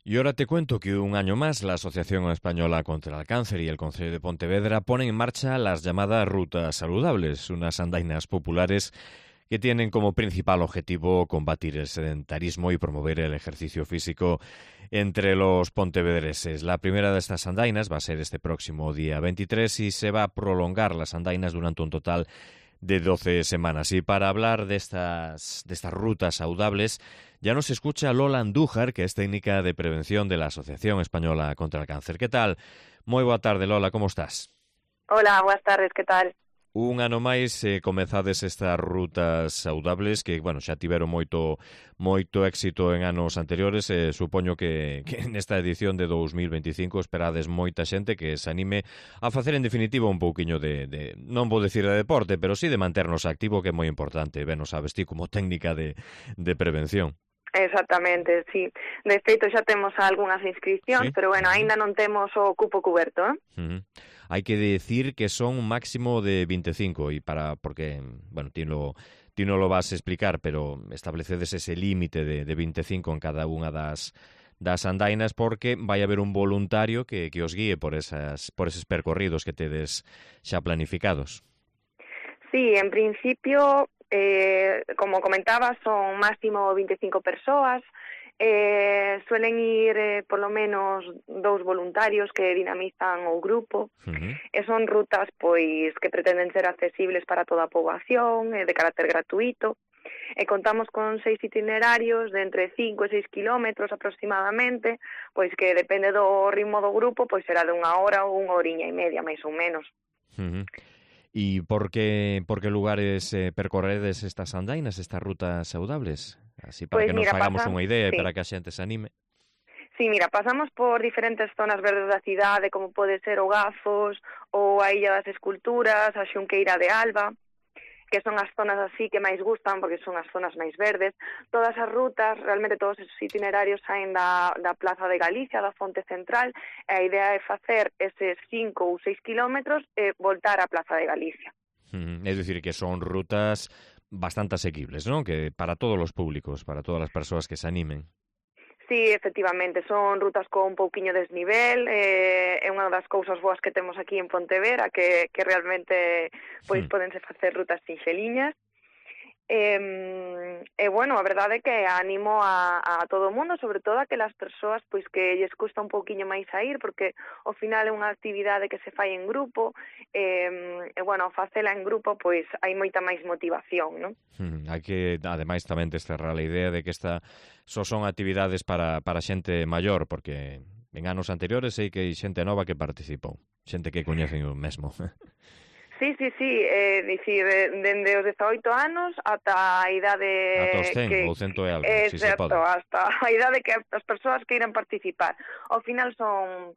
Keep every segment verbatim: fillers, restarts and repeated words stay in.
Y ahora te cuento que un año más la Asociación Española contra el Cáncer y el Concello de Pontevedra ponen en marcha las llamadas rutas saludables, unas andainas populares que tienen como principal objetivo combatir el sedentarismo y promover el ejercicio físico entre los pontevedreses. La primera de estas andainas va a ser este próximo día veintitrés y se va a prolongar las andainas durante un total de doce semanas. Y para hablar de estas, de estas rutas saludables, ya nos escucha Lola Andújar, que es técnica de prevención de la Asociación Española contra el Cáncer. ¿Qué tal? Moi boa tarde, Lola, como estás? Hola, boas tardes, que tal? Un ano máis eh, comezades estas rutas saudables que, bueno, xa tiveron moito moito éxito en anos anteriores. Eh, supoño que, que nesta edición de dous mil veinticinco esperades moita xente que se anime a facer en definitiva un pouquiño de, de non vou decir de deporte, pero sí de manternos activo, que é moi importante. Ben, o sabes ti como técnica de, de prevención. Exactamente, sí. De feito xa temos algunhas inscripcións, ¿Sí? pero bueno, aínda non temos o cupo cuberto, eh? Uh-huh. Hai que decir que son un máximo de veinticinco, e para porque, bueno, ti lo, ti non lo vas a explicar, pero establecedes ese límite de, de veinticinco en cada unha das das andainas porque vai haber un voluntario que, que os guíe por esas por eses percorridos que tedes xa planificados. Sí, en principio, eh, como comentaba, son máximo veinticinco persoas. Eh, suelen ir eh, por lo menos dous voluntarios que dinamizan o grupo. Uh-huh. E son rutas pois que pretenden ser accesibles para toda a poboación, eh, de carácter gratuito. E contamos con seis itinerarios de entre cinco e seis kilómetros aproximadamente, pois que depende do ritmo do grupo, pois será de unha hora ou unha horiña e media, máis ou menos. Uh-huh. E por que, por que lugares eh, percorredes estas andainas, estas rutas saudables? Así para Pois que nos mira, hagamos pasa, unha idea e sí. para que a xente se anime. Sí, mira, pasamos por diferentes zonas verdes da cidade, como pode ser o Gazos, ou a Illa das Esculturas, a Xunqueira de Alba, que son as zonas así que máis gustan, porque son as zonas máis verdes. Todas as rutas, realmente todos esos itinerarios saen da, da Plaza de Galicia, da Fonte Central, e a idea é facer eses cinco ou seis kilómetros e voltar á Plaza de Galicia. Mm, es decir, que son rutas bastante asequibles, ¿no? Que para todos los públicos, para todas las persoas que se animen. Sí, efectivamente, son rutas con un pouquiño de desnivel, eh, é unha das cousas boas que temos aquí en Pontevedra, que, que realmente pois Hmm. podense facer rutas sinxeliñas. E, e bueno, a verdade é que animo a, a todo o mundo, sobre todo a que as persoas pois que lles custa un pouquiño máis a ir, porque ao final é unha actividade que se fai en grupo, e, e bueno, ao facela en grupo pois hai moita máis motivación, non? Hmm. Hai que, ademais, tamén desterrar a idea de que esta só son actividades para, para xente maior, porque en anos anteriores sei que hai xente nova que participou, xente que coñecen o mesmo. Sí, sí, sí, é eh, dicir, dende os dezaoito anos ata a idade Ata os cen, que ou cento e algo, é si se certo, pode. hasta a idade que as persoas queiran participar. Ao final son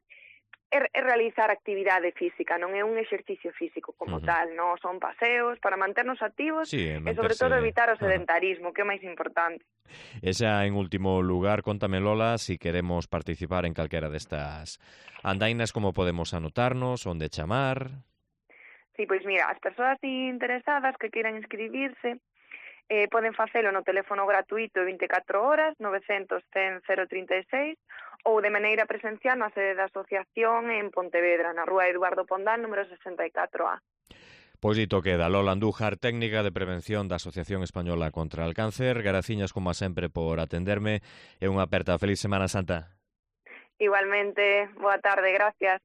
é, é realizar actividade física, non é un exercicio físico como Uh-huh. tal, non son paseos para manternos activos Sí, e manterse... sobre todo evitar o Ajá. sedentarismo, que é o máis importante. E xa en último lugar, contame, Lola, si queremos participar en calquera destas andainas, como podemos anotarnos, onde chamar? Sí, pois mira, as persoas interesadas que queiran inscribirse eh, poden facelo no teléfono gratuito de veinticuatro horas, novecientos cen cero trinta e seis, ou de maneira presencial na sede da asociación en Pontevedra, na rúa Eduardo Pondal, número sesenta e catro A. Pois dito queda, Lola Andújar, técnica de prevención da Asociación Española contra el Cáncer. Graciñas, como sempre, por atenderme e unha aperta. Feliz Semana Santa. Igualmente, boa tarde, gracias.